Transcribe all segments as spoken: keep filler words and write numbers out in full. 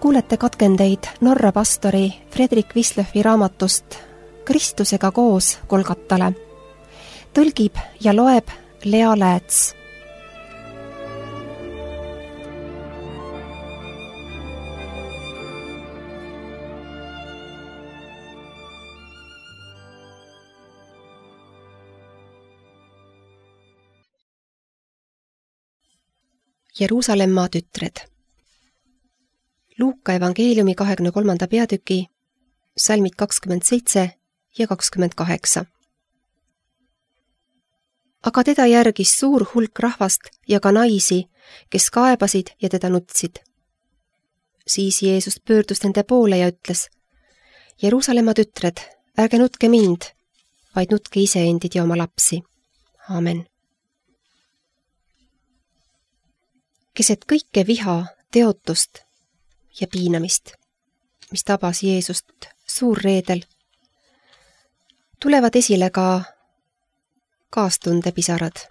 Kuulete katkendeid Norra pastori Fredrik Wislöfi raamatust Kristusega koos Golgatale. Tõlgib ja loeb Lea Lääts. Jeruusalemma tütred. Luuka evangeeliumi kahekümne kolmanda peatüki, salmid kakskümmend seitse ja kakskümmend kaheksa. Aga teda järgis suur hulk rahvast ja ka naisi, kes kaebasid ja teda nutsid. Siis Jeesus pöördus nende poole ja ütles: Jeruusalemma tütred, ärge nutke mind, vaid nutke iseendid ja oma lapsi. Aamen. Keset kõike viha, teotust ja piinamist, mis tabas Jeesust suurreedel, tulevad esile ka kaastundepisarad.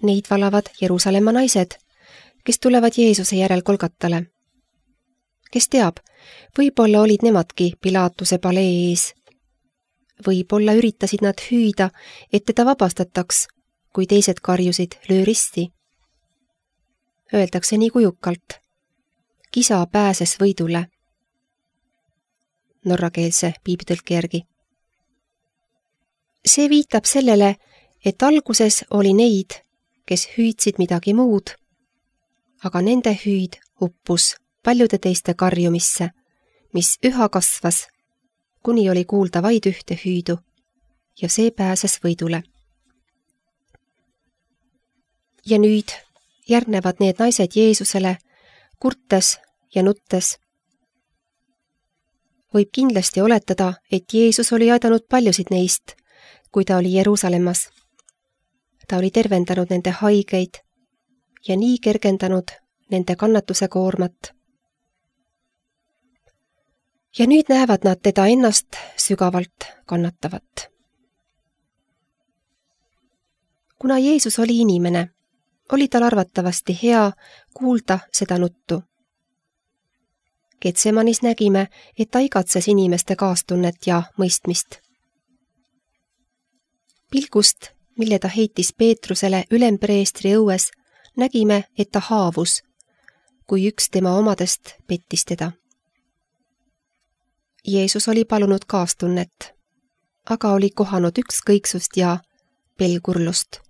Neid valavad Jeruusalemma naised, kes tulevad Jeesuse järel Golgatale. Kes teab, võib-olla olid nemadki Pilaatuse palee ees. Võib-olla üritasid nad hüüda, et teda vabastataks, kui teised karjusid löö risti. Öeldakse nii kujukalt: kisa pääses võidule. Norrakeelse piibitõlke järgi. See viitab sellele, et alguses oli neid, kes hüüdsid midagi muud, aga nende hüüd uppus paljude teiste karjumisse, mis üha kasvas, kuni oli kuulda vaid ühte hüüdu, ja see pääses võidule. Ja nüüd järgnevad need naised Jeesusele, kurtes ja nuttes. Võib kindlasti oletada, et Jeesus oli aidanud paljusid neist, kui ta oli Jeruusalemmas. Ta oli tervendanud nende haigeid ja nii kergendanud nende kannatuse koormat. Ja nüüd näevad nad teda ennast sügavalt kannatavat. Kuna Jeesus oli inimene, oli tal arvatavasti hea kuulda seda nuttu. Getsemanis nägime, et ta igatses inimeste kaastunnet ja mõistmist. Pilgust, mille ta heitis Peetrusele ülempreestri õues, nägime, et ta haavus, kui üks tema omadest pettis teda. Jeesus oli palunud kaastunnet, aga oli kohanud ükskõiksust ja pelgurlust.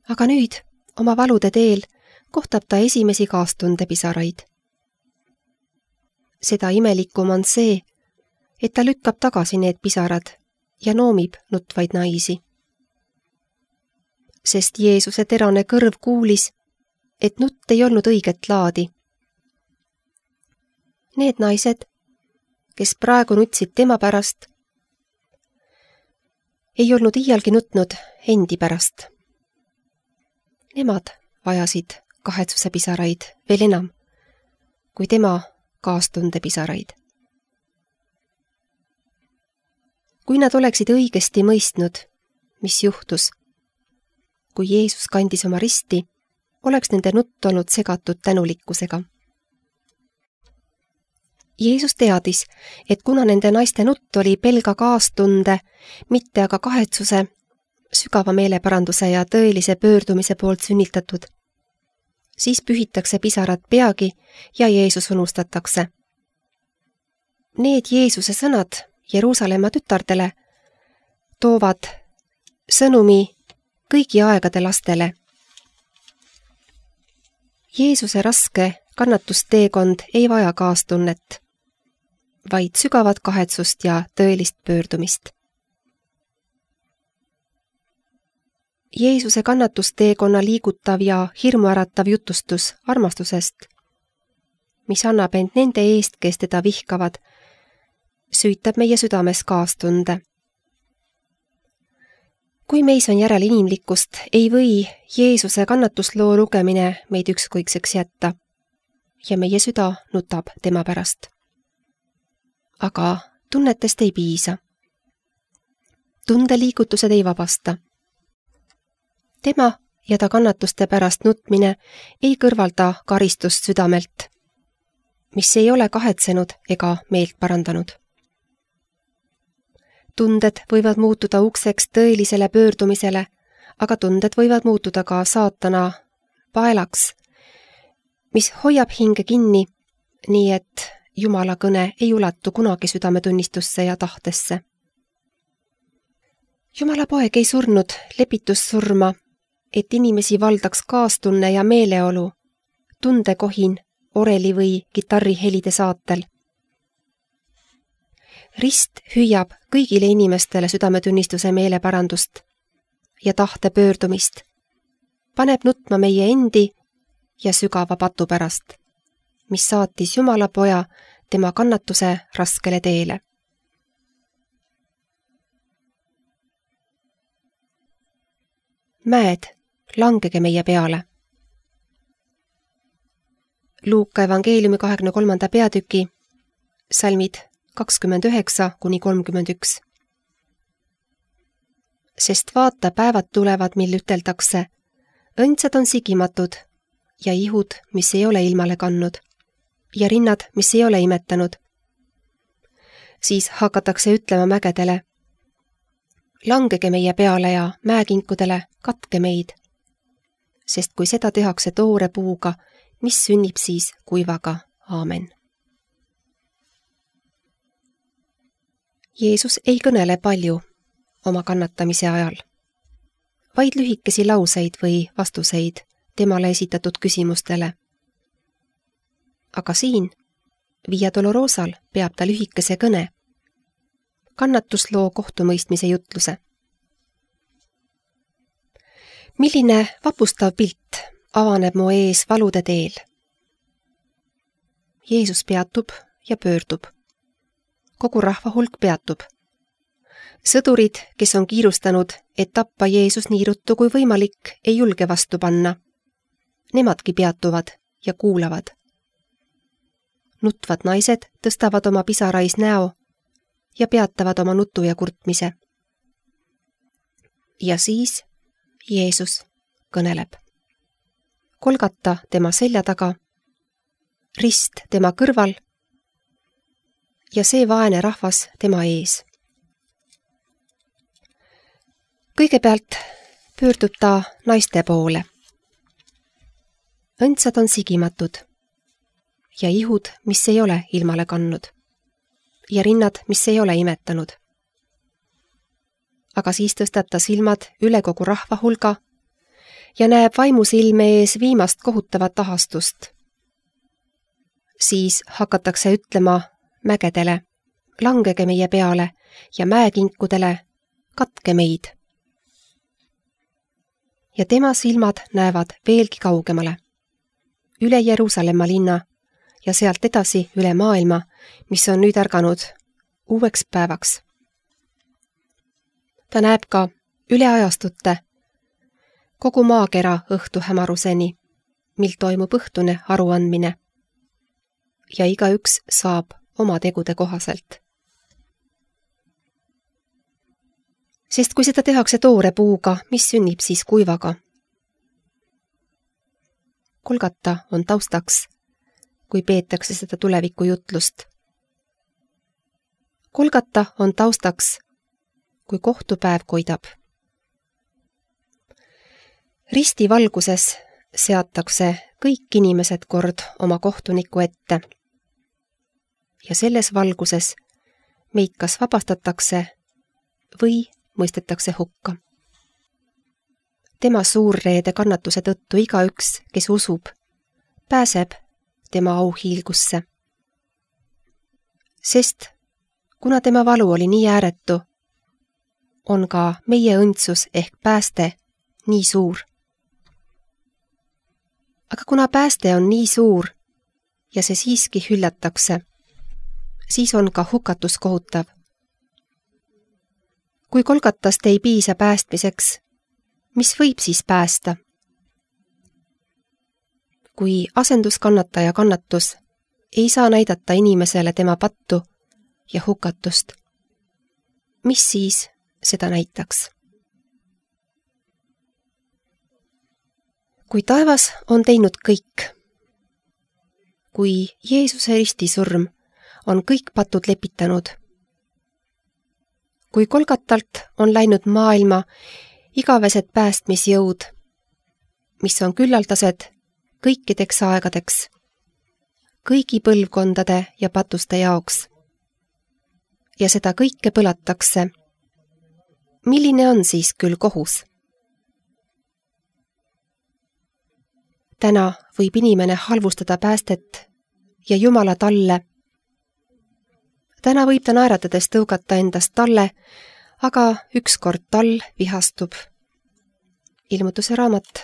Aga nüüd, oma valude teel, kohtab ta esimesi kaastundepisaraid. Seda imelikum on see, et ta lükkab tagasi need pisarad ja noomib nutvaid naisi. Sest Jeesuse terane kõrv kuulis, et nutt ei olnud õiget laadi. Need naised, kes praegu nutsid tema pärast, ei olnud iialgi nutnud endi pärast. Nemad vajasid kahetsuse pisaraid veel enam, kui tema kaastunde pisaraid. Kui nad oleksid õigesti mõistnud, mis juhtus, kui Jeesus kandis oma risti, oleks nende nutt olnud segatud tänulikkusega. Jeesus teadis, et kuna nende naiste nutt oli pelga kaastunde, mitte aga kahetsuse, sügava meeleparanduse ja tõelise pöördumise poolt sünnitatud, siis pühitakse pisarad peagi ja Jeesus unustatakse. Need Jeesuse sõnad Jeruusalemma tütardele toovad sõnumi kõigi aegade lastele. Jeesuse raske kannatusteekond ei vaja kaastunnet, vaid sügavat kahetsust ja tõelist pöördumist. Jeesuse kannatusteekonna liigutav ja hirmuäratav jutustus armastusest, mis annab end nende eest, kes teda vihkavad, süütab meie südames kaastunde. Kui meis on järel inimlikkust, ei või Jeesuse kannatusloo lugemine meid ükskõikseks jätta ja meie süda nutab tema pärast. Aga tunnetest ei piisa. Tundeliigutused ei vabasta. Tema ja ta kannatuste pärast nutmine ei kõrvalda karistust südamelt, mis ei ole kahetsenud ega meelt parandanud. Tunded võivad muutuda ukseks tõelisele pöördumisele, aga tunded võivad muutuda ka saatana paelaks, mis hoiab hinge kinni, nii et Jumala kõne ei ulatu kunagi südametunnistusse ja tahtesse. Jumala poeg ei surnud lepitussurma, et inimesi valdaks kaastunne ja meeleolu, tundekohin, oreli või kitarrihelide saatel. Rist hüüab kõigile inimestele südametunnistuse meeleparandust ja tahte pöördumist, paneb nutma meie endi ja sügava patu pärast, mis saatis Jumala poja tema kannatuse raskele teele. Mäed, langege meie peale. Luuka evangeeliumi kahekümne kolmanda peatüki, salmid kakskümmend üheksa kuni kolmkümmend üks. Sest vaata, päevad tulevad, mil üteldakse, õndsad on sigimatud ja ihud, mis ei ole ilmale kannud, ja rinnad, mis ei ole imetanud. Siis hakatakse ütlema mägedele, langege meie peale ja mäekinkudele, katke meid. Sest kui seda tehakse toore puuga, mis sünnib siis kuivaga? Aamen. Jeesus ei kõnele palju oma kannatamise ajal, vaid lühikesi lauseid või vastuseid temale esitatud küsimustele. Aga siin, Via Dolorosal, peab ta lühikese kõne, kannatusloo kohtumõistmise jutluse. Milline vapustav pilt avaneb mu ees valude teel? Jeesus peatub ja pöördub. Kogu rahva hulk peatub. Sõdurid, kes on kiirustanud, et tappa Jeesus nii ruttu kui võimalik, ei julge vastu panna. Nemadki peatuvad ja kuulavad. Nutvad naised tõstavad oma pisarais näo ja peatavad oma nutu ja kurtmise. Ja siis Jeesus kõneleb. Kolgata tema selja taga, rist tema kõrval ja see vaene rahvas tema ees. Kõigepealt pöördub ta naiste poole. Õndsad on sigimatud ja ihud, mis ei ole ilmale kannud ja rinnad, mis ei ole imetanud. Aga siis tõstab ta silmad üle kogu rahva hulga ja näeb vaimusilme ees viimast kohutavat ahastust. Siis hakatakse ütlema mägedele, langege meie peale ja mäekinkudele, katke meid. Ja tema silmad näevad veelgi kaugemale, üle Jeruusalemma linna ja sealt edasi üle maailma, mis on nüüd ärganud uueks päevaks. Ta näeb ka üle ajastute, kogu maakera õhtu hämaruseni, mil toimub õhtune aruandmine ja igaüks saab oma tegude kohaselt. Sest kui seda tehakse toore puuga, mis sünnib siis kuivaga? Kolgata on taustaks, kui peetakse seda tulevikujutlust. Kolgata on taustaks, kui kohtupäev koidab. Risti valguses seatakse kõik inimesed kord oma kohtuniku ette. Ja selles valguses meid kas vabastatakse või mõistetakse hukka. Tema suurreede kannatuse tõttu igaüks, kes usub, pääseb tema auhiilgusse. Sest kuna tema valu oli nii ääretu, on ka meie õndsus ehk pääste nii suur. Aga kuna pääste on nii suur ja see siiski hüllatakse, siis on ka hukatus kohutav. Kui Kolgatast ei piisa päästmiseks, mis võib siis päästa? Kui asenduskannataja kannatus ei saa näidata inimesele tema pattu ja hukatust, mis siis seda näitaks? kui taevas on teinud kõik, kui Jeesuse ristisurm on kõik patud lepitanud, kui Kolgatalt on läinud maailma igavesed päästmisjõud, mis on küllaldased kõikideks aegadeks, kõigi põlvkondade ja patuste jaoks. Ja seda kõike põlatakse. Milline on siis küll kohus? Täna võib inimene halvustada päästet ja Jumala talle. Täna võib ta naeratades tõugata endast talle, aga ükskord tal vihastub. Ilmutuse raamat,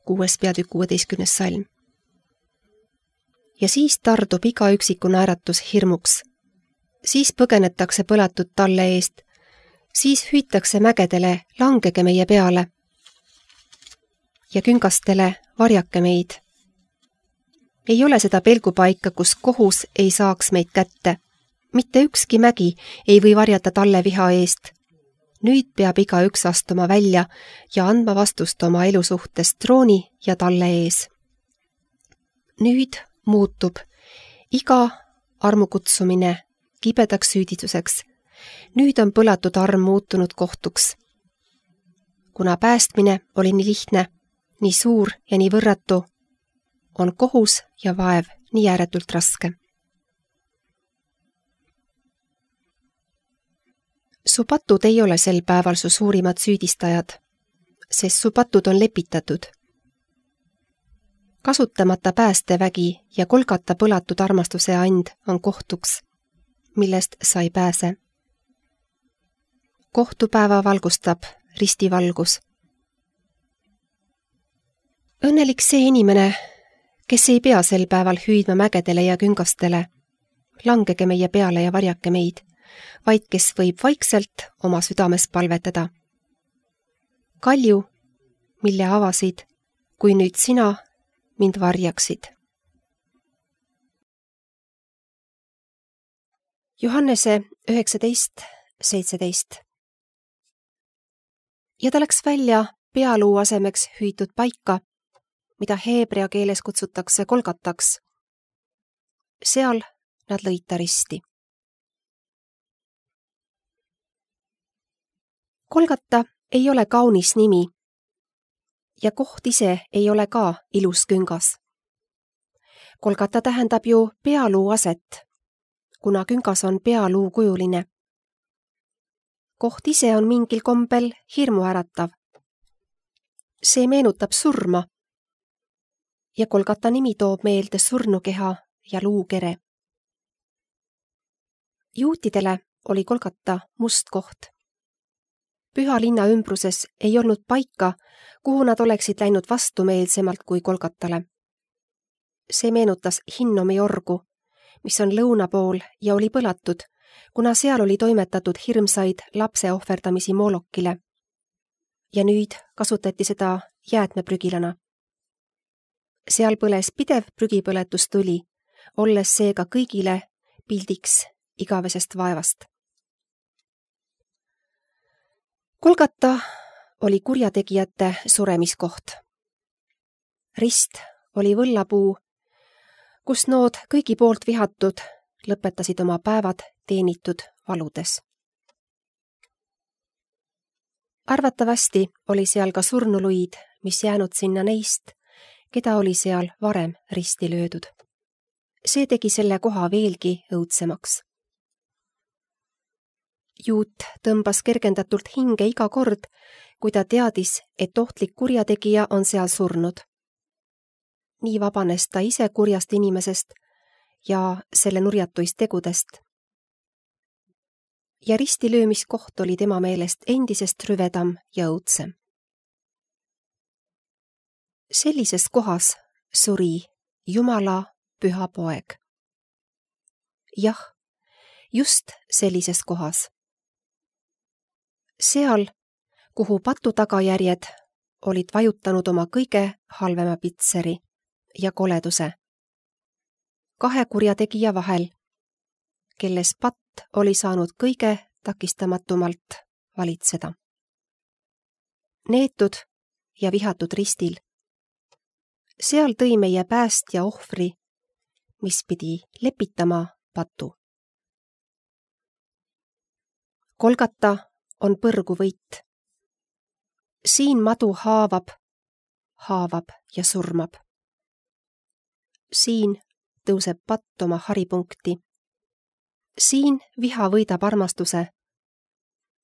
kuues peatükk, kuueteistkümnes salm. Ja siis tardub iga üksiku naeratus hirmuks. Siis põgenetakse põlatud talle eest. Siis hüütakse mägedele, langege meie peale. Ja küngastele, varjake meid. Ei ole seda pelgupaika, kus kohus ei saaks meid kätte. Mitte ükski mägi ei või varjata talle viha eest. Nüüd peab iga üks astuma välja ja andma vastust oma elu suhtes trooni ja talle ees. Nüüd muutub iga armukutsumine kibedaks süüdistuseks. Nüüd on põlatud arm muutunud kohtuks. Kuna päästmine oli nii lihtne, nii suur ja nii võrratu, on kohus ja vaev nii ääretult raske. Su patud ei ole sel päeval su suurimad süüdistajad, sest su patud on lepitatud. Kasutamata päästevägi ja Kolgata põlatud armastuse and on kohtuks, millest sa ei pääse. Kohtupäeva valgustab ristivalgus. Õnnelik see inimene, kes ei pea sel päeval hüüdma mägedele ja küngastele, langege meie peale ja varjake meid, vaid kes võib vaikselt oma südames palvetada. Kalju, mille avasid, kui nüüd sina mind varjaksid. Johannese üheksateist seitseteist. Ja ta läks välja pealuu asemeks hüütud paika, mida heebrea keeles kutsutakse Kolgataks. Seal nad lõid ta risti. Kolgata ei ole kaunis nimi ja koht ise ei ole ka ilus küngas. Kolgata tähendab ju pealuu aset, kuna küngas on pealuu kujuline. Koht ise on mingil kombel hirmu äratav. See meenutab surma ja Kolgata nimi toob meelde surnukeha ja luukere. Juutidele oli Kolgata must koht. Püha linna ümbruses ei olnud paika, kuhu nad oleksid läinud vastumeelsemalt kui Kolgatale. See meenutas Hinnomi orgu, mis on lõuna pool ja oli põlatud, kuna seal oli toimetatud hirmsaid lapse ohverdamisi Moolokile. Ja nüüd kasutati seda jäätmeprügilana. Seal põles pidev prügipõletustuli, olles seega kõigile pildiks igavesest vaevast. Kolgata oli kurjategijate suremiskoht. Rist oli võllapuu, kus nood kõigi poolt vihatud lõpetasid oma päevad teenitud valudes. Arvatavasti oli seal ka surnuluid, mis jäänud sinna neist, keda oli seal varem risti löödud. See tegi selle koha veelgi õudsemaks. Juut tõmbas kergendatult hinge iga kord, kui ta teadis, et ohtlik kurjategija on seal surnud. Nii vabanes ta ise kurjast inimesest ja selle nurjatuist tegudest. Ja ristilöömiskoht oli tema meelest endisest rüvedam ja õudsem. Sellises kohas suri Jumala püha poeg. Jah, just sellises kohas. Seal, kuhu patu tagajärjed olid vajutanud oma kõige halvema pitseri ja koleduse. Kahe kurjategija vahel, kelles patt oli saanud kõige takistamatumalt valitseda. Neetud ja vihatud ristil seal tõi meie päästja ohvri, mis pidi lepitama patu. Golgata on põrgu võit. Siin madu haavab, haavab ja surmab. Siin tõuseb patt oma haripunkti. Siin viha võidab armastuse.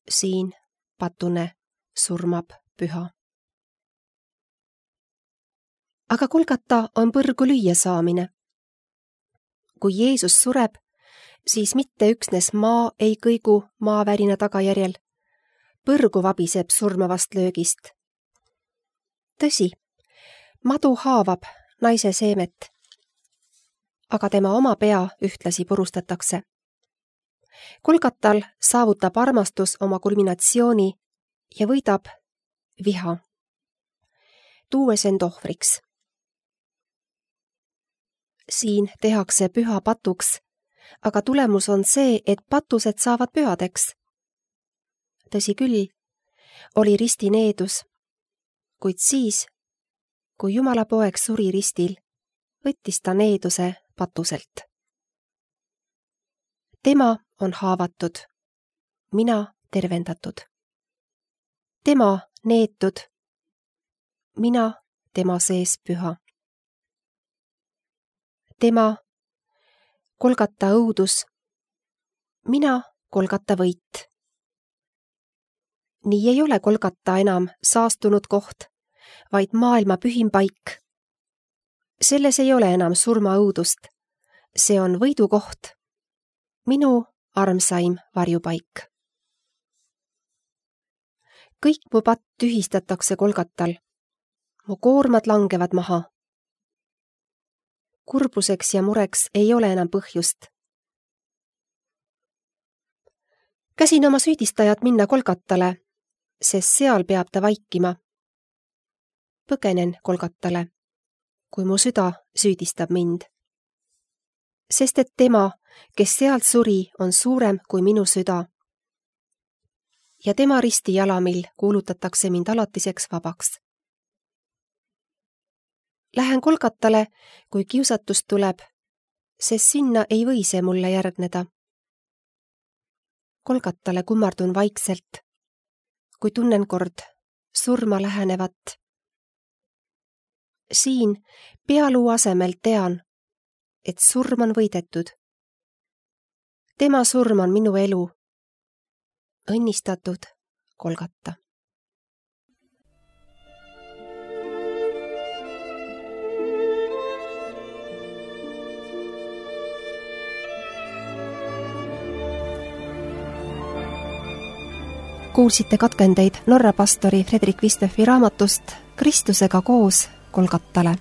Siin patune surmab püha. Aga Golgata on põrgu lüüa saamine. Kui Jeesus sureb, siis mitte üksnes maa ei kõigu maavärina tagajärjel. Põrgu vabiseb surmavast löögist. Tõsi, madu haavab naise seemet, aga tema oma pea ühtlasi purustatakse. Golgatal saavutab armastus oma kulminatsiooni ja võidab viha, tuues end ohvriks. Siin tehakse püha patuks, aga tulemus on see, et patused saavad pühadeks. Tõsi küll, oli risti needus, kuid siis, kui Jumala poeg suri ristil, võttis ta needuse patuselt. Tema on haavatud, mina tervendatud. Tema neetud, mina tema sees püha. Tema Golgata õudus, mina Golgata võit. Nii ei ole Golgata enam saastunud koht, vaid maailma pühim paik. Selles ei ole enam surmaõudust, see on võidukoht, minu armsaim varjupaik. Kõik mu patt tühistatakse Golgatal, mu koormad langevad maha. Kurbuseks ja mureks ei ole enam põhjust. Käsin oma süüdistajat minna Golgatale, sest seal peab ta vaikima. Põgenen Golgatale, kui mu süda süüdistab mind. Sest et tema, kes sealt suri, on suurem kui minu süda. Ja tema ristijalamil kuulutatakse mind alatiseks vabaks. Lähen Golgatale, kui kiusatus tuleb, sest sinna ei või see mulle järgneda. Golgatale kummardun vaikselt, kui tunnen kord surma lähenevat. Siin pealuu asemel tean, et surm on võidetud. Tema surm on minu elu. Õnnistatud Golgata. Kuulsite katkendeid Norra pastori Fredrik Vistøfi raamatust Kristusega koos Golgatale.